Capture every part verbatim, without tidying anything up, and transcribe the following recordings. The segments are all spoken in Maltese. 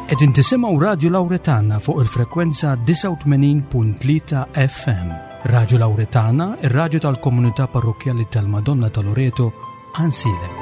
Qegħdin tisimgħu Radio Lauretana fuq il-frekwenza disgħa u tmenin punt tlieta F M. Radio Lauretana, ir-radju tal-Komunità Parrokjali tal-Madonna ta' Loreto, Għajnsielem.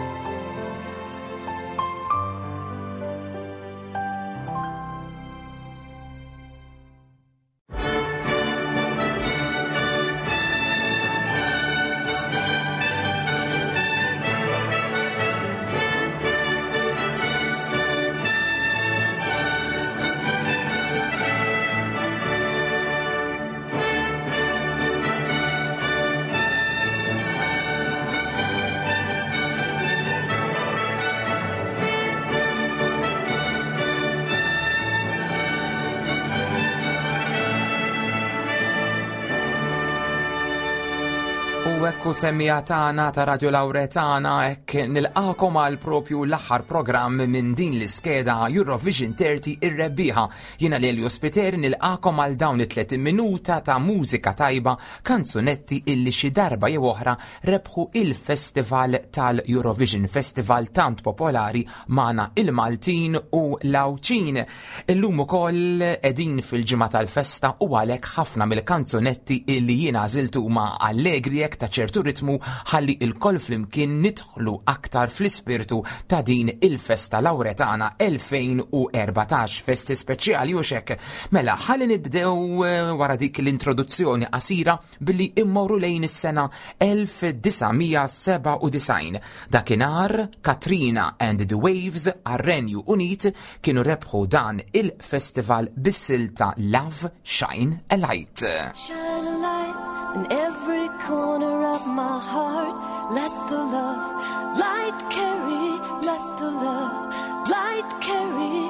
U ekku, semmiegħa tagħna ta' Radio Lauretana, hekk nilqagħkom għal propju l-aħħar programm minn din l-iskeda Eurovision thirty ir-rebbieħa. Jiena Lelio Spiter nilqagħkom għal dawn it-tletin minuta ta' mużika tajba, kanzunetti illi xi darba jew oħra rebħu il-Festival tal-Eurovision, festival tant popolari magħna il-Maltin u l-Għawdxin. Illum ukoll qegħdin fil-ġimgħa tal-festa u għalhekk ħafna mill-kanzunetti illi jiena għażiltu huma allegri, hekk ta' ċertu ritmu, ħalli ilkoll flimkien nidħlu aktar fl-ispirtu ta' din il-festa Lauretana elfejn u erbatax, festi speċjali u xek. Mela, ħalli nibdew eh, wara dik l-introduzzjoni qasira billi immorru lejn is-sena elf disa' mija sebgħa u disgħin. Dakinhar Katrina and the Waves għar-Renju Unit kienu rebħu dan il-festival bis-silta "Love Shine a Light". Shine a light in every corner of my heart. Let the love light carry, let the love light carry.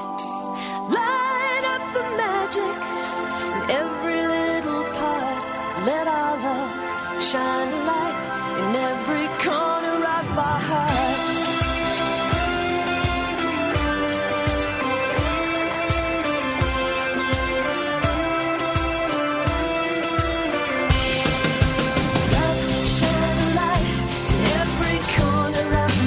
Light up the magic in every little part. Let our love shine a light in every corner of our hearts. Love, shine a light in every corner of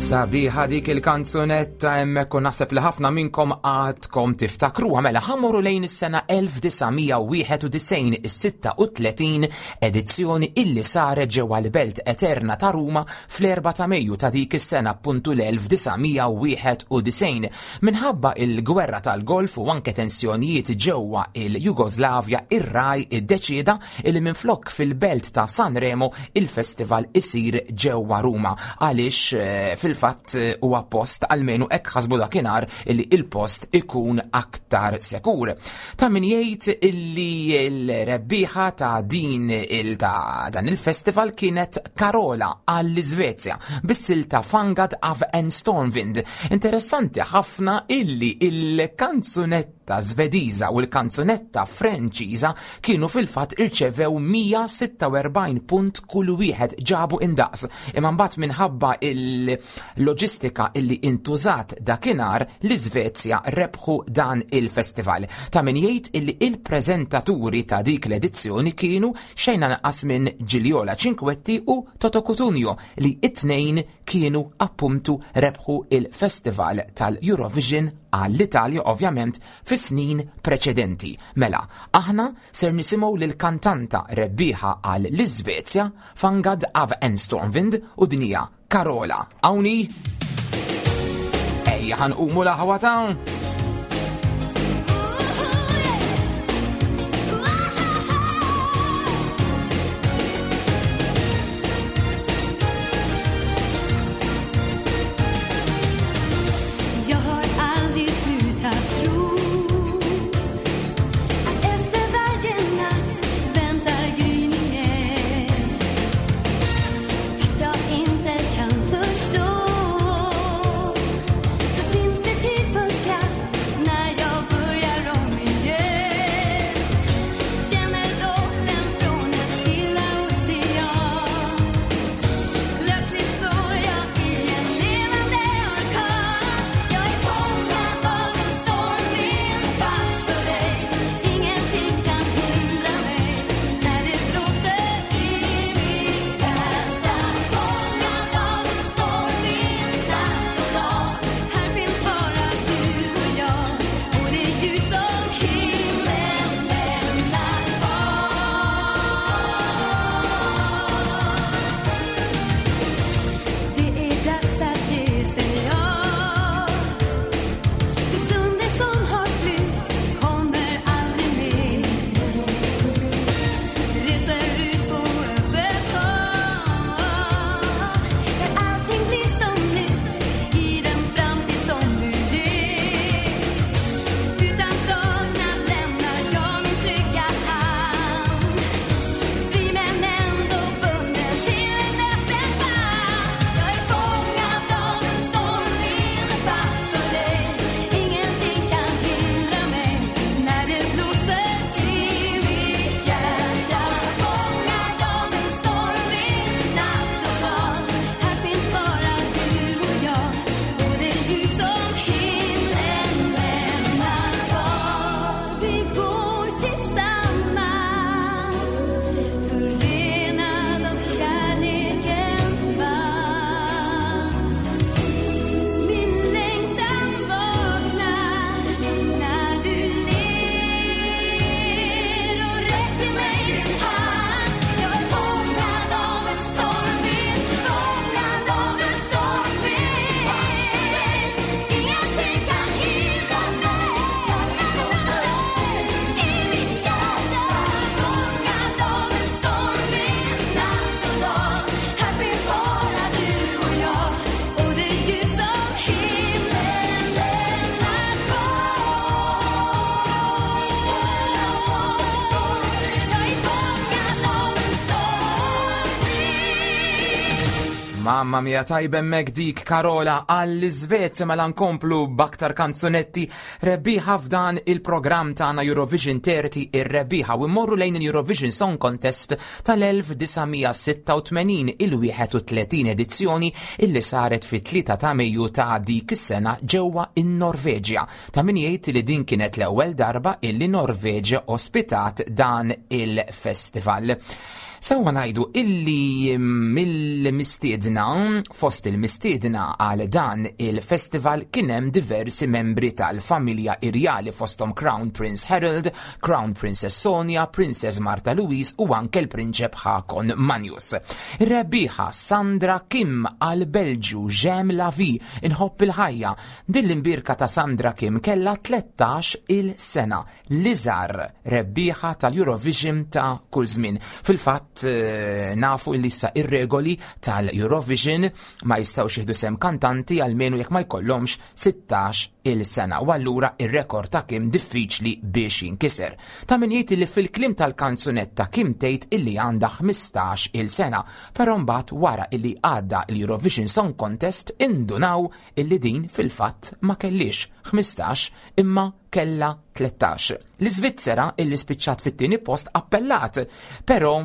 Sabiħa dik il-kanzunetta hemmhekk u naħseb li ħafna minnkom għadkom tiftakruha. Mela ħa mmorru lejn is-sena elf disa' mija wieħed u disgħin, is-sitta u tletin edizzjoni illi saret ġewwa l-Belt Eterna ta' Ruma fl-erbgħa ta' Mejju ta' dik is-sena, appuntu l-elf disa' mija wieħed u disgħin. Minħabba il-gwerra tal-Golf u anke tensjonijiet ġewwa il-Jugoslavja, ir-RAI iddeċieda illi minflok fil-belt ta' Sanremo il-festival isir ġewwa Ruma, għaliex eh, fil-fatt eh, huwa post, almenu hekk ħasbu dakinhar, illi il-post ikun aktar sekur. Ta' min jgħid illi l-rebbieħa ta' din il ta' dan il-festival kienet Carola għall-Iżvezja bis-silta "Fångad av en stormvind". Interessanti ħafna illi il-kanzunetta Svediża u l-kanzunetta Franċiża kienu fil-fatt irċevew mija sitta u erbgħin punt kull wieħed, ġabu indaqs. Imma mbagħad minħabba il-loġistika illi intużat dakinhar, l-Iżvezja rebħu dan il-festival. Ta' min jgħid illi il-preżentaturi ta' dik l-edizzjoni kienu xejn anqas minn Gigliola Cinquetti u Toto Cutugno, li it-tnejn kienu appuntu rebħu il-festival tal-Eurovision għall-Italja ovvjament fis-snin preċedenti. Mela, aħna ser nisimgħu lil kantanta rebbieħa għal l-Iżvezja, "Fångad av en stormvind", u din hija Carola. Awni? Ejja ħa nqumu l-aħwa ta'. Jag har aldrig slutat tro att efter varje natt väntar gryningen. Fast jag inte kan förstå så finns det tid för skratt när jag börjar om igen. Känner doften från en stilla ocean. Plötsligt står jag i en levande orkan. Jag är fångad av en stormvind, fast för dig. Ingenting kan hindra mig när det blåser i mitt hjärta. Fångad av en stormvind, natt och dag. Här finns bara du och jag och det ljus som himlen lämnar kvar. Det är dags att ge sig av. För stunden som har flytt kommer aldrig mer. Reser ut på öppet hav där allting blir som nytt i den framtid som du ger. Utan saknad lämnar jag min trygga hamn. Fri men ändå bunden till en öppen famn. Jag är fångad av en stormvind, fast för dig. Ingenting kan hindra mig när det blåser i mitt hjärta. Fångad av en stormvind, natt och dag. Här finns bara du och jag och det ljus som himlen lämnar kvar. Vi går tillsammans, förenad av kärlekens band. Min längtan vaknar när du ler och räcker mig din hand. Jag är fångad av en stormvind, fångad av en stormvind. Ingenting kan hindra mig. I mitt hjärta, fångad av en stormvind, natt och dag. Här finns bara du och jag och det ljus som himlen lämnar kvar. Jag är fångad av en stormvind. Mamma mia, tajba hemmhekk dik Carola għall-Iżvezja. Mela nkomplu b'aktar kanzunetti rebbieħa f'dan il-programm tagħna Eurovision thirty ir-rebbieħa u mmorru lejn il-Eurovision Song Contest tal-elf disa' mija sitta u tmenin, il-wieħed u tletin edizzjoni illi saret fit-tlieta ta' Mejju ta' dik is-sena ġewwa in-Norveġja. Ta' min jgħid li din kienet l-ewwel darba illi Norveġja ospitat dan il-festival. Sewwa ngħidu illi mill-mistiedna, fost il-mistiedna għal dan il-festival kien hemm diversi membri tal-familja irjali fosthom Crown Prince Harold, Crown Princess Sonja, Princess Marta Louise u anke l-Prinċep Hakon Magnus. Rebbieħa Sandra Kim għal Belġu J'aime la vie, inħobb il-ħajja. Din l-imbirka ta' Sandra Kim kella tlettax il-sena, l-iżgħar rebbieħa tal-Eurovision ta' kull żmien. Fil-fatt nafu illi issa ir-regoli tal-Eurovision ma jistgħux jieħdu sem kantanti għalmenu jekk ma jkollhomx sittax il-sena, u allura ir-rekord ta' Kim diffiċli biex jinkiser. Ta' min jgħid li fil-klim tal-kanzunetta Kim tgħid illi għandha ħmistax il-sena, però mbagħad wara illi għadda l-Eurovision Song Contest indunaw illi din fil-fatt ma kellix ħmistax imma kella tlettax. L-Iżvizzera illi spiċċat fit-tieni post appellat, però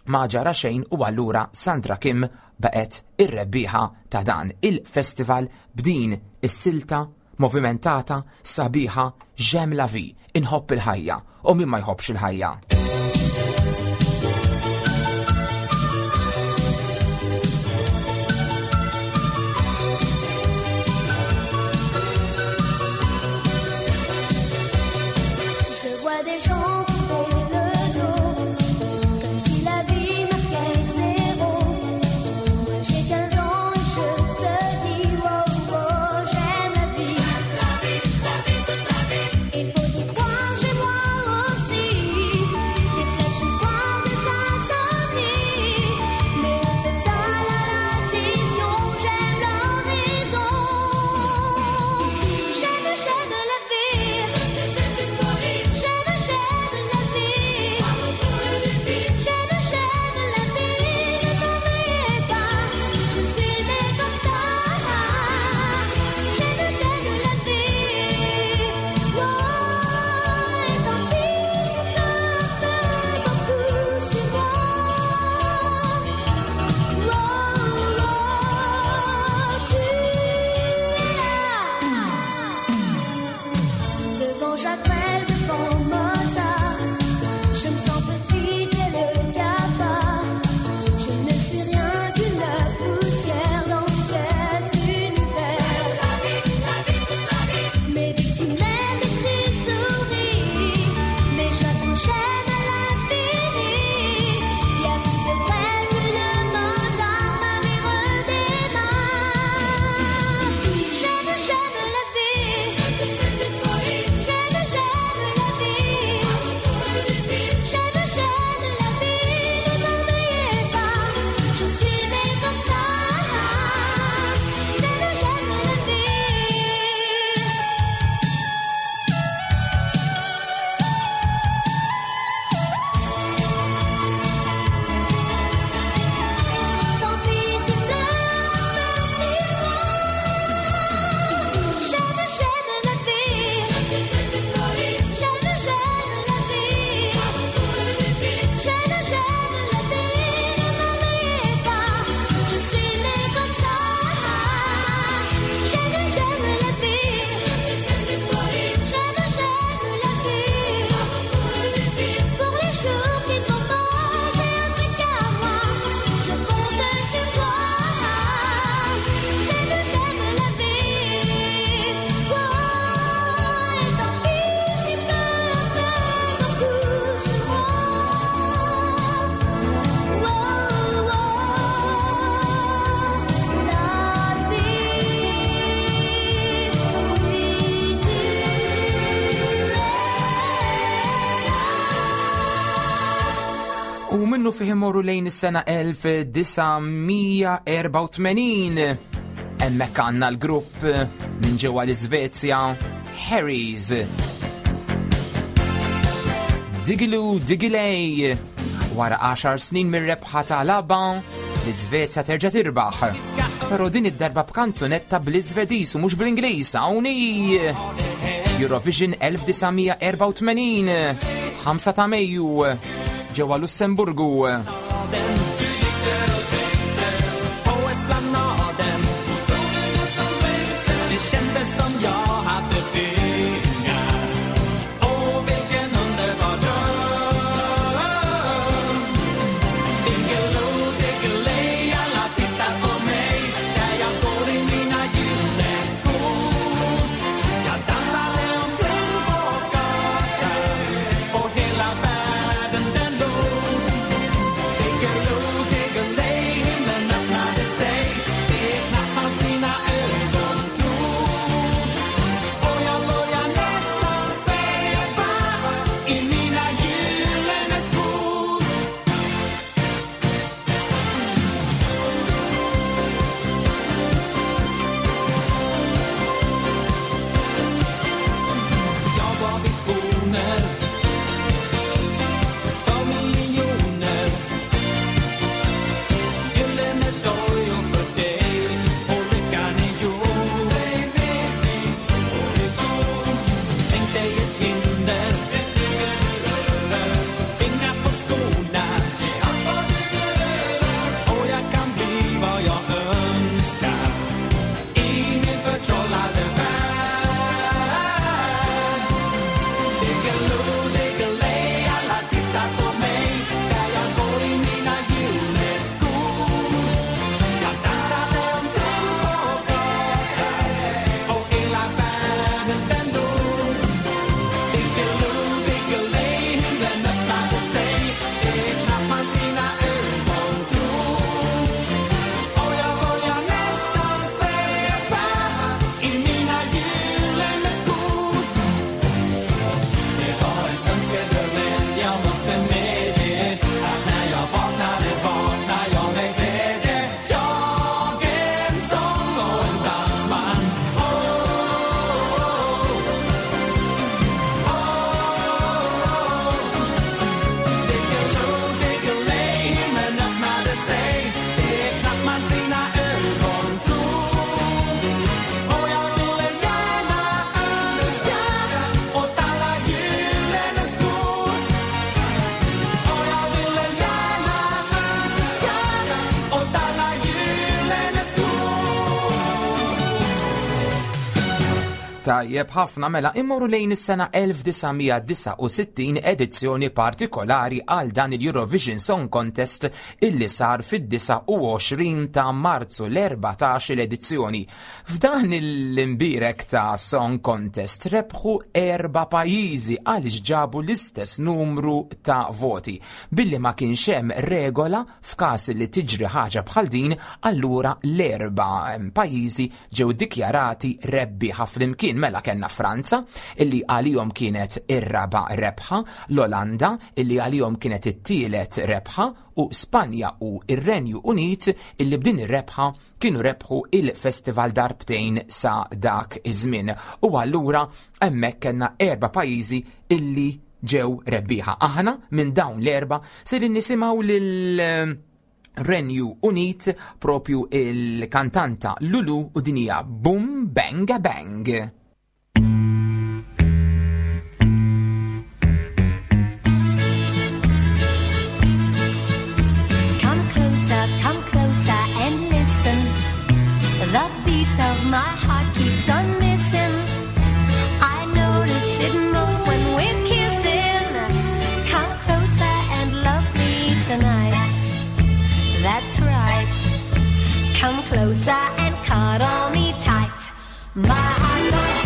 ma ġara xejn u allura Sandra Kim baqgħet ir-rebbieħa ta' dan il-festival b'din is-silta movimentata sabiħa J'aime la vie, inħobb il-ħajja, u min ma jħobbx il-ħajja. Je vois des gens couper le dos, comme si la vie marquait zéro. Moi j'ai quinze ans et je te dis wow, wow, j'aime la vie. La vie, la vie, toute la vie. Il faut y croire, j'ai moi aussi. Des flèches d'espoir, des insomnies. Mais un peu tard à l'addition, j'aime l'horizon. J'aime, j'aime la vie. C'est une folie. J'aime, j'aime la vie. J'aime, j'aime la vie. Ne m'en veuillez pas, je suis née comme ça. J'aime, j'aime la vie. Oh, et tant pis si pleut beaucoup sur moi. Oh, oh, tu es là. Devant Jacques Brel, devant Mozart, je me sens petite, j'ai le cafard. Je ne suis rien qu'une poussière dans cet univers. Mais dès que tu m'aimes et que tu souris, mes joies s'enchaînent à l'infini. Y a plus de Brel, plus de Mozart, ma vie redémarre. J'aime, j'aime la vie. C'est une folie. J'aime, j'aime la vie. J'aime, j'aime la vie. Ne m'en veuillez pas, je suis née comme ça. J'aime, j'aime la vie. Tant pis si pleut sur moi. J'aime, j'aime la vie. C'est une folie. J'aime, j'aime la vie. J'aime, j'aime la vie. Ne m'en veuillez pas, je suis née comme ça. J'aime, j'aime la vie. C'est une folie. J'aime, j'aime la vie. Pour les jours qui ne vont pas, j'ai un truc à moi. Je compte sur toi. J'aime, j'aime la vie. Oh, et tant pis s'il pleut un peu beaucoup sur moi. Oh, oh, la vie, oui, tu es là. U minnu fih imorru lejn is-sena elf disa' mija erba' u tmenin. Hemmhekk għandna l-grupp minn ġewwa l-Iżvezja, Harry's. Diggiloo Diggiley. Wara għaxar snin mir-rebħa tal-ABBA, l-Iżvezja terġa' tirbaħ. Però din id-darba b'kanzunetta bl-Iżvediż u mhux bl-Ingliż, hawn hi Eurovision elf disa' mija erba' u tmenin, ħamsa ta' Mejju, ġewwa Lussemburgu. Det kändes som jag hade pengar. Åh, vilken underbar dröm. Diggiloo, diggiley, alla tittar på mig där jag går i mina gyllene skor. Jag dansade omkring på gatan och hela världen den dog. Diggiloo, diggiley, himlen öppnade sig. Det är knappt man sina ögon tror. Och jag börjar nästan säga sväva i mina gyllene skor. Det var en önskedröm, jag måste medge att när jag vaknade, vaknade jag med glädje. Jag är en sång och en dansman. Oh, oh, oh, oh. Diggiloo, diggiley, himlen öppnade sig. Det är knappt man sina ögon tror. Och jag ville gärna önska åt alla gyllene skor. Och jag ville gärna önska åt alla gyllene skor. Tajjeb ħafna, mela immorru lejn is-sena elf disa' mija disgħa u sittin, edizzjoni partikolari għal dan il-Eurovision Song Contest illi sar fid-disgħa u għoxrin ta' Marzu, l-erbatax l-edizzjoni. F'dan l-imbirek ta' Song Contest rebħu erba' pajjiżi għaliex ġabu l-istess numru ta' voti. Billi ma kienx hemm regola f'każ li tiġri ħaġa bħal din, allura l-erba' pajjiżi ġew dikjarati rebbieħa flimkien. Mela kellna Franza illi għalihom kienet ir-raba' rebħa, l-Olanda illi għalihom kienet it-tielet rebħa u Spanja u ir-Renju Unit illi b'din ir-rebħa kienu rebħu il-festival darbtejn sa dak iż-żmien. U allura hemmhekk kellna erba' pajjiżi illi ġew rebbieħa. Aħna minn dawn l-erba' ser nisimgħu lil Renju Unit, propju il-kantanta Lulu, u din hija Boom Bang a Bang. Come closer, come closer and listen. The beat of my heart keeps on missing. I notice it most when we're kissing. Come closer and love me tonight. That's right. Come closer and cuddle me tight. My heart goes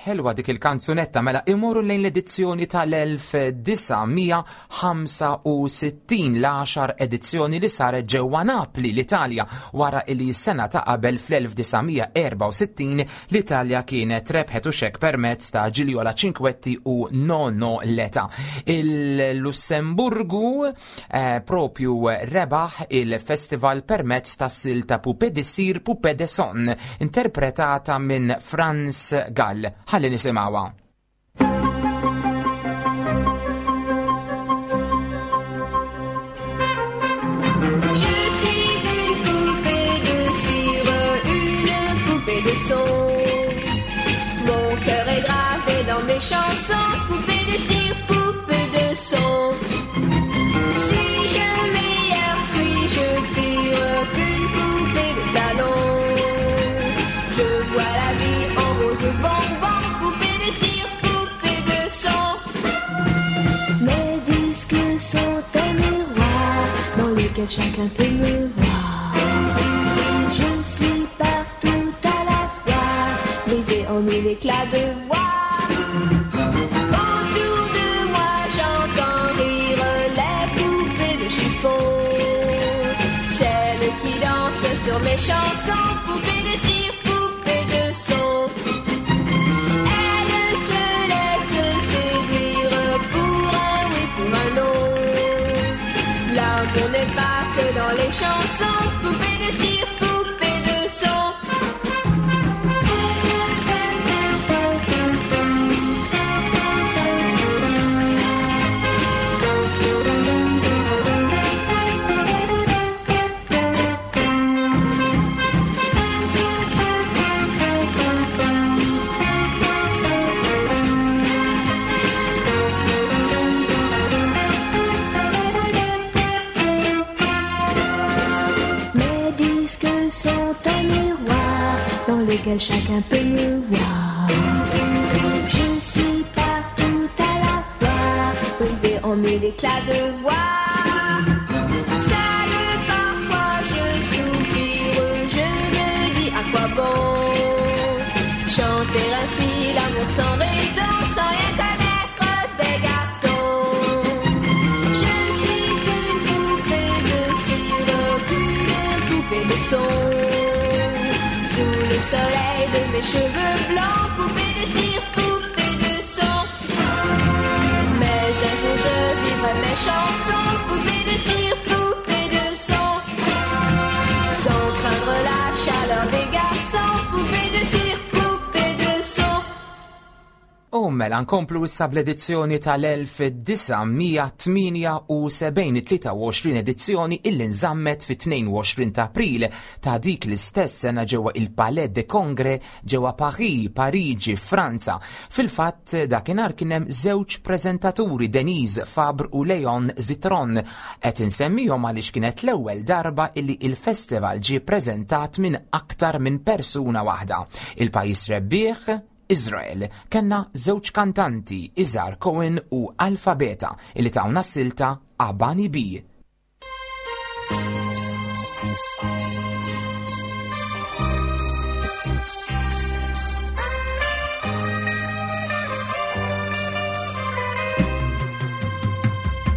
Ħelwa dik il-kanzunetta. Mela imorru lejn l-edizzjoni tal-elf disa' mija ħamsa u sittin, l-għaxar edizzjoni li saret ġewwa Napli, l-Italja, wara li s-sena ta' qabel fl-elf disa' mija erba' u sittin l-Italja kienet rebħet u xek permezz ta' Gigliola Cinquetti u No No Leta. Il-Lussemburgu, eh, propju rebaħ il-festival permezz ta' silta Poupée de Cire, Poupée de Son, interpretata minn Franz Gall. Ħalli nisimgħuha. Je suis une poupée de cire, une poupée de son. Mon cœur est gravé dans mes chansons, poupée de cire, poupée de son. Suis-je meilleur, suis-je pire qu'une poupée de salon? Je vois la vie en rose bonbon, poupée de cire, poupée de son. Mes disques sont un miroir dans lequel chacun peut me voir. Je suis partout à la fois, brisé en mille éclats de voix. Autour de moi, j'entends rire les poupées de chiffon, celles qui dansent sur mes chansons, poupées de cire, poupées de son. Elles se laissent séduire pour un oui, pour un non. L'amour n'est pas que dans les chansons, poupées de cire, poupées de son. Mes disques sont un miroir dans lequel chacun peut me voir. Je suis partout à la fois, brisé en mille éclats de voix. Seule parfois je soupire, je me dis à quoi bon chanter ainsi l'amour sans raison, sans rien connaître des garçons. Je suis qu'une poupée de cire, qu'une poupée de son. Sous le soleil de mes cheveux blancs, poupée de cire, poupée de son. Mais un jour je vivrai mes chansons, poupée de cire, poupée de son. Sans craindre la chaleur des garçons, poupée de cire, poupée de son. U mela nkomplu issa bl-edizzjoni tal-elf disa' mija tmienja u sebgħin, tlieta u għoxrin edizzjoni illi nżammet fit-tnejn u għoxrin ta' April ta' dik l-istess sena ġewwa il-Palais des Congrès ġewwa Paris, Pariġi, Franza. Fil-fatt dakinhar kien hemm żewġ preżentaturi, Denise Fabre u Leon Zitron. Qed insemmihom għaliex kienet l-ewwel darba illi il-festival ġie preżentat minn aktar minn persuna waħda. Il-pajjiż rebbieħ Israel. Kenna żewġ kantanti, Izhar Cohen u Alphabeta, illi tawna silta Abani B.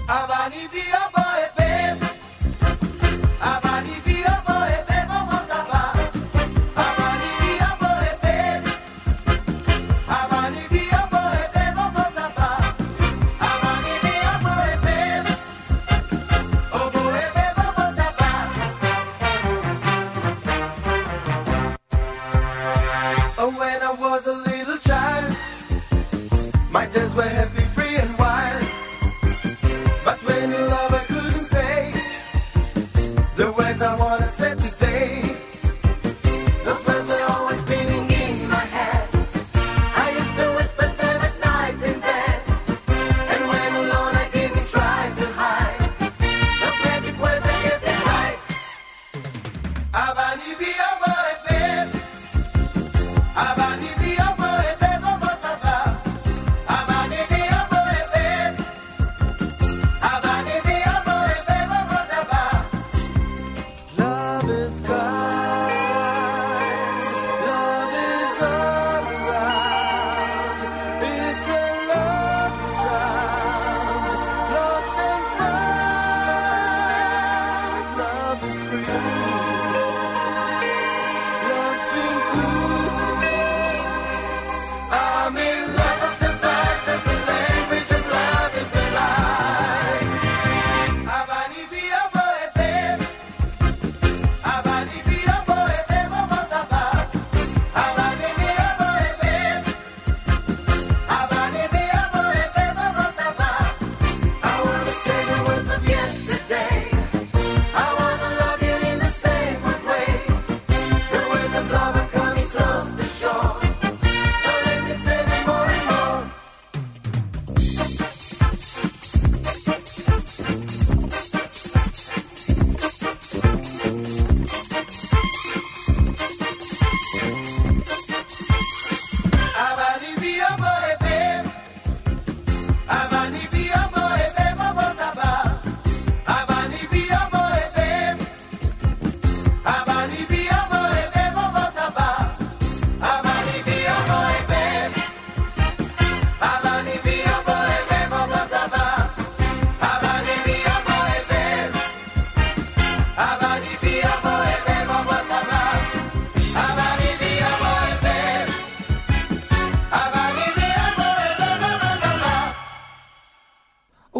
Abani B, aboe B. Abani B, aboe B, bobo taba. Abani B, aboe B. Abani B, aboe B, bobo taba. Abani B, aboe B. Oboe B, bobo taba. Oh, when I was a little child, my days were happy, free and wild. But when you love, I couldn't say the words I wanna say today. Those words were always spinning in my head. I used to whisper them at night in bed. And when alone, I didn't try to hide those magic words I kept inside. Abani bi aboe be. Abani bi aboe be bobo taba. Abani bi aboe be. Abani bi aboe be bobo taba. Love is kind, love is all around.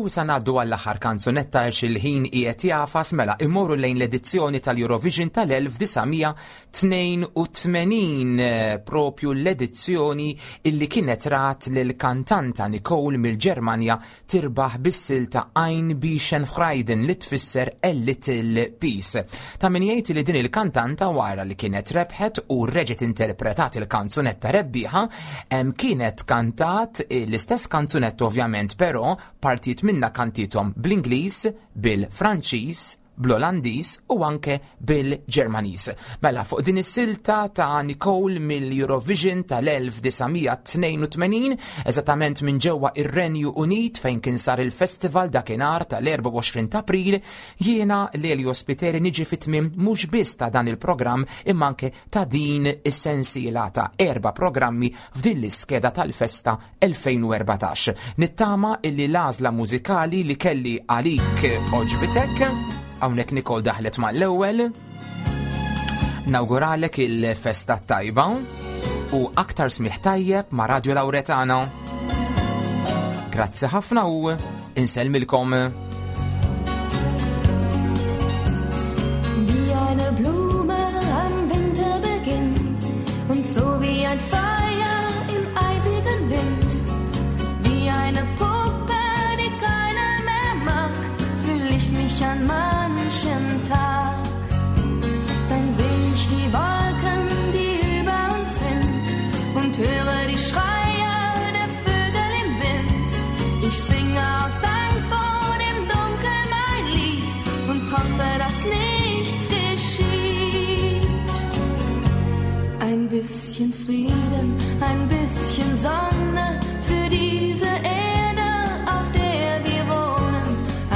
U sa ngħaddu għall-aħħar kanzunetta għax il-ħin qiegħed jagħfas. Mela immorru lejn l-edizzjoni tal-Eurovision tal-elf disa' mija tnejn u tmenin, propju l-edizzjoni illi kienet rat lil kantanta Nicole mill-Ġermanja tirbaħ bis-silta "Ein bisschen Frieden", li tfisser "A Little Peace". Ta' min jgħid li din il-kantanta, wara li kienet rebħet u reġgħet interpretat il-kanzunetta rebbieħa, kienet kantat l-istess kanzunetta ovvjament, però partijiet minna kantithom bl-Ingliż, bil-Franċiż, bl-Olandiż u anke bil-Ġermaniż. Mela fuq din is-silta ta' Nicole mill-Eurovision tal-elf disa' mija tnejn u tmenin, eżattament minn ġewwa ir-Renju Unit fejn kien sar il-festival dakinhar tal-erbgħa u għoxrin ta' April, jiena Lelio Spiteri niġi fit-tmiem mhux biss ta' dan il-programm imma anke ta' din is-sensiela ta' erba' programmi f'din l-iskeda tal-festa elfejn u erbatax. Nittama illi l-għażla mużikali li kelli għalik għoġbitek. Hawnhekk Nicole daħlet mal-ewwel. Nawguralek il-festa tajba u aktar smigħ tajjeb ma' Radio Lauretana. Grazzi ħafna u insellmilkom. Wie eine Blume am Winterbeginn und so wie ein Feuer im eisigen Wind, wie eine Puppe, die keiner mehr mag, fühl ich mich an manchen Tag. Dann seh ich die Wolken, die über uns sind, und höre die Schreie der Vögel im Wind. Ich singe aus Angst vor dem Dunkel mein Lied und hoffe, dass nichts geschieht. Ein bisschen Frieden, ein bisschen Sonne für diese Erde, auf der wir wohnen.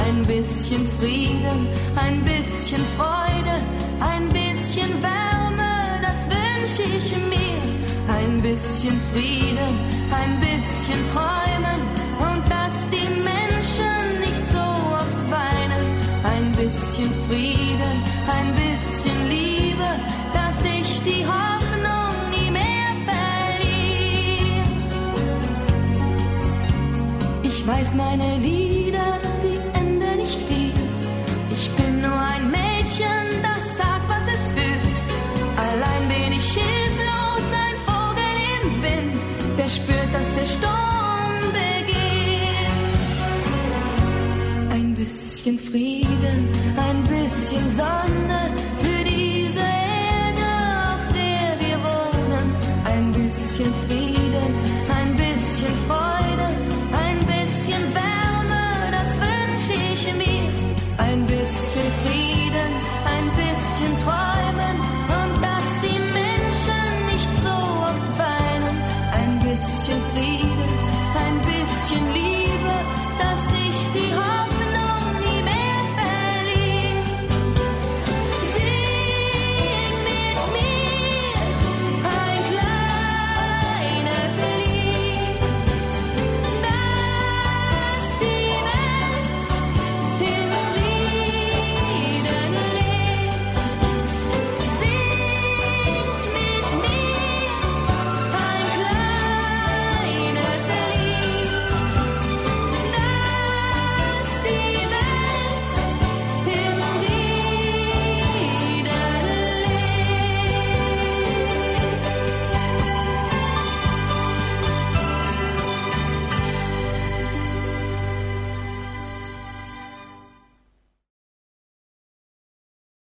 Ein bisschen Frieden, ein bisschen Freude, ein bisschen Wärme, das wünsche ich mir. Ein bisschen Frieden, ein bisschen Träumen und dass die Menschen nicht so oft weinen. Ein bisschen Frieden, ein bisschen Liebe, dass ich die Hoffnung nie mehr verliere. Ich weiß, meine Lieder, die ändern nicht viel. Ich bin nur ein Mädchen, das sagt, was es fühlt. Allein bin ich hilflos, ein Vogel im Wind, der spürt, dass der Sturm beginnt. Ein bisschen Frieden, ein bisschen Sonne für diese Erde, auf der wir wohnen. Ein bisschen Frieden, ein bisschen Freude.